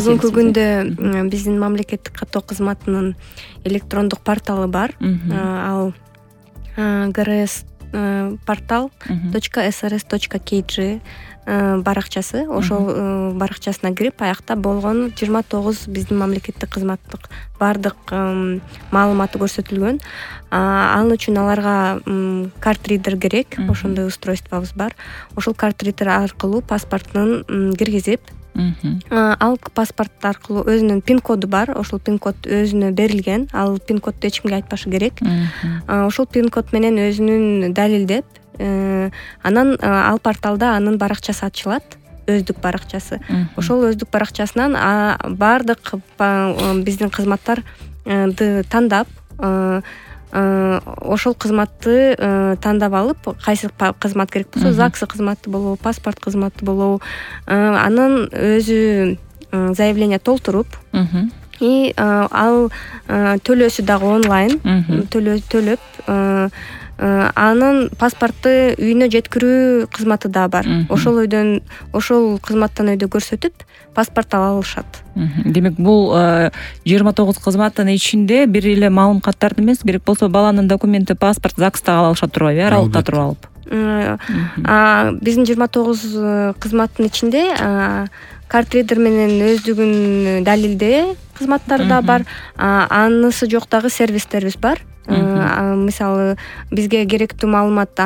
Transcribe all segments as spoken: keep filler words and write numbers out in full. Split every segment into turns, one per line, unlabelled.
маселеси.
Бүгүнкү күндө биздин мамлекеттик каттоо кызматынын электрондук порталы бар. Ал грс портал точка srs точка kg баракчасы. Ошол баракчасына кирип, аякта болгон жыйырма тогуз биздин мамлекеттик кызматтык бардык маалыматы көрсөтүлгөн. Ал үчүн аларга картридер керек. Ошондой устройствобуз бар. Ошол картридер аркылуу паспортун киргизип, ал паспорт аркылуу өзүнүн пин коду бар. Ошол пин код өзүнө берилген. Ал пин кодду эч кимге айтпашы керек. Ошол пин код менен өзүнүн далилдеп, анан ал порталда анын баракчасы ачылат, өздүк баракчасы. Ошол өздүк баракчасынан бардык биздин кызматтарды тандап, ошол кызматты тандап алып, кайсы кызмат керек болсо, ЗАГС кызматы болобу, паспорт кызматы болобу, анан өзү заявление толтуруп, и ал төлөөсү дагы онлайн төлөп, анын паспорту үйүнө жеткирүү кызматы да бар. Ошол үйдөн, ошол кызматтан өйдө көрсөтүп, паспорт ала алышат.
Демек, бул жыйырма тогуз кызматтын ичинде бир эле маалым каттарды эмес, керек болсо баланын документи, паспорт ЗАГСта ала алышат турбайбы, аралыкта туруп алып.
Биздин жыйырма тогуз кызматтын ичинде картридер менен өздүгүн далилдөө кызматтары да бар. Анысы жок дагы сервистерибиз бар. Мисалы, бизге керектүү маалымат,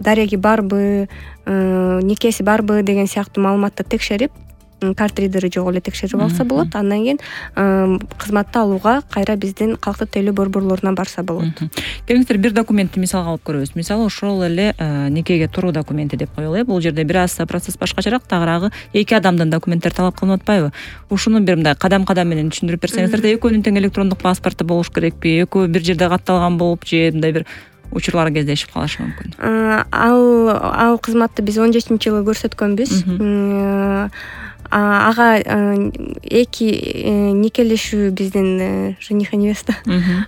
дареги барбы, никеси барбы деген сыяктуу маалыматты текшерип, картридери жок эле текшерип алса болот. Андан кийин кызматты алууга кайра биздин калктык тейлөө борборлоруна барса болот.
Келиңиздер, бир документти мисалга алып көрөбүз. Мисалы, ошол эле никеге туруу документи деп коелу. Бул жерде бир аз процесс башкачараак, тагыраагы эки адамдын документтери талап кылынып атпайбы? Ушуну бир мындай кадам-кадам менен түшүндүрүп берсеңиздер, экөөнүн тең электрондук паспорту болуш керекпи? Экөө бир жерде катталган болуп же мындай бир учурлар кездешип калышы мүмкүн?
Ал ал кызматты биз он жетинчи жылы көрсөткөнбүз. Ага эки никелешүү биздин жених и невеста.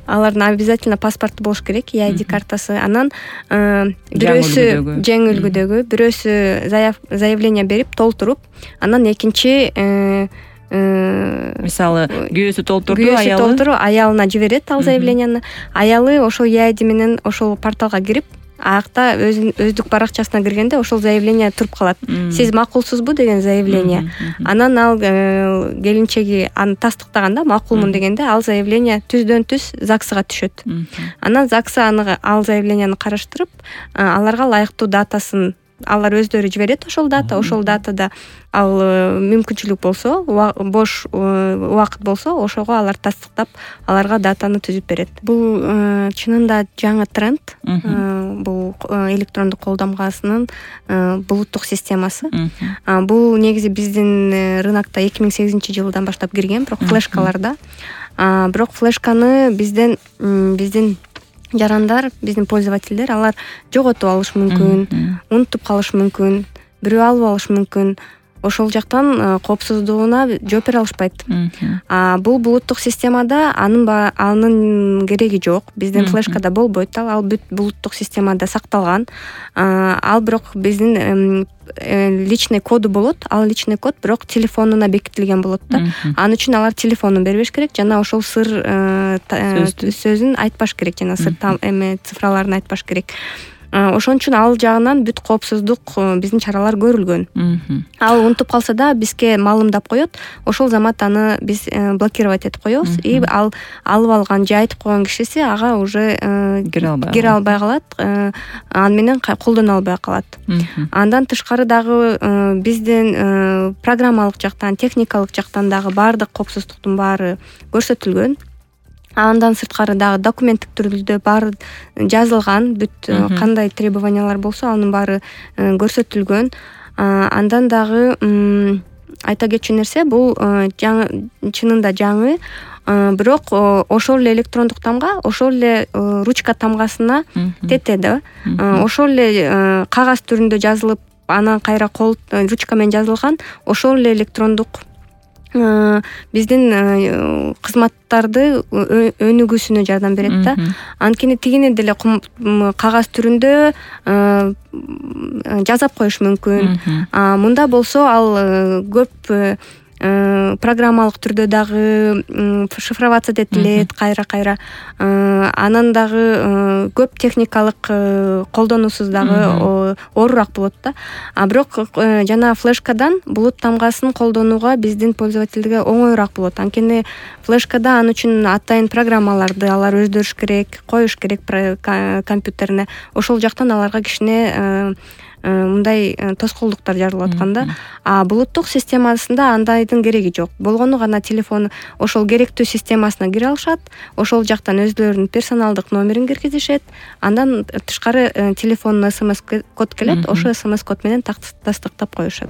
Алардын обязательно паспорту болуш керек, и ай ди картасы. Анан бирөөсү жаңы үлгүдөгү, бирөөсү заявление берип, толтуруп, анан экинчи
мисалы, күйөөсү толтурду,
аялы
аялы
толтуруп, аялына жиберет ал заявленияны. Аялы ошол и ай ди менен ошол порталга кирип, аякта өздүк баракчасына киргенде ошол заявление туруп калат. Сиз макулсузбу деген заявление. Анан ал келинчеги аны тастыктаганда, макулмун дегенде, ал заявление түздөн түз ЗАГСга түшөт. Анан ЗАГС аны ал заявленияны караштырып, аларга ылайыктуу датасын алар өздөрү жиберет. Ошол дата, ошол датада ал мүмкүнчүлүк болсо, бош убакыт болсо, ошого алар тастыктап, аларга датаны түзүп берет. Бул чынында жаңы тренд. Бул электрондук колдомгасынын булуттук системасы. Бул негизи биздин рынокто эки миң сегизинчи жылдан баштап кирген, бирок флешкаларда. Бирок флешканы бизден биздин жарандар, биздин пользовательдер, алар жоготуп алышы мүмкүн, унутуп калышы мүмкүн, бирөө алып алышы мүмкүн. Ошол жактан коопсуздугуна жооп бере алышпайт. Бул булуттук системада анын анын кереги жок. Биздин флешкада болбойт. Ал бүт булуттук системада сакталган. Ал бирок биздин личный коду болот. Ал личный код бирок телефонуна бекитилген болот да. Анын үчүн алар телефонун бербеш керек, жана ошол сыр сөзүн айтпаш керек, жана сыр эме цифраларын айтпаш керек. Ошон үчүн ал жагынан бүт коопсуздук биздин чаралар көрүлгөн. Ал унутуп калса да бизге маалымдап коет. Ошол замат аны биз блокировать этип коебуз. И ал алып алган же айтып койгон кишиси ага уже кире албай калат. Аны менен колдоно албай калат. Андан тышкары дагы биздин программалык жактан, техникалык жактан дагы баардык коопсуздуктун баары көрсөтүлгөн. Андан сырткары дагы документтик түрдө баары жазылган, бүт кандай требованиялар болсо анын баары көрсөтүлгөн. Андан дагы айта кетчү нерсе, бул чынында жаңы, бирок ошол эле электрондук тамга, ошол эле ручка тамгасына тете да. Ошол эле кагаз түрүндө жазылып, анан кайра кол ручка менен жазылган, ошол эле электрондук биздин кызматтарды өнүгүүсүнө жардам берет да. Анткени тигине деле кагаз түрүндө жазап коюш мүмкүн. Мында болсо ал көп программалык түрдө дагы шифроваться этилет кайра кайра, анан дагы көп техникалык колдонуусуз дагы оорураак болот да. А бирок жана флешкадан булут тамгасын колдонууга биздин пользовательдерге оңоюраак болот. Анткени флешкада ал үчүн атайын программаларды алар өздөрүш керек, коюш керек компьютерине. Ошол жактан аларга кичине мындай тоскоолдуктар жаралып аткан да. А булуттук системасында андайдын кереги жок. Болгону гана телефон ошол керектүү системасына кире алышат, ошол жактан өздөрүнүн персоналдык номерин киргизишет, андан тышкары телефонуна смс код келет, ошол смс код менен тастыктап коюшат.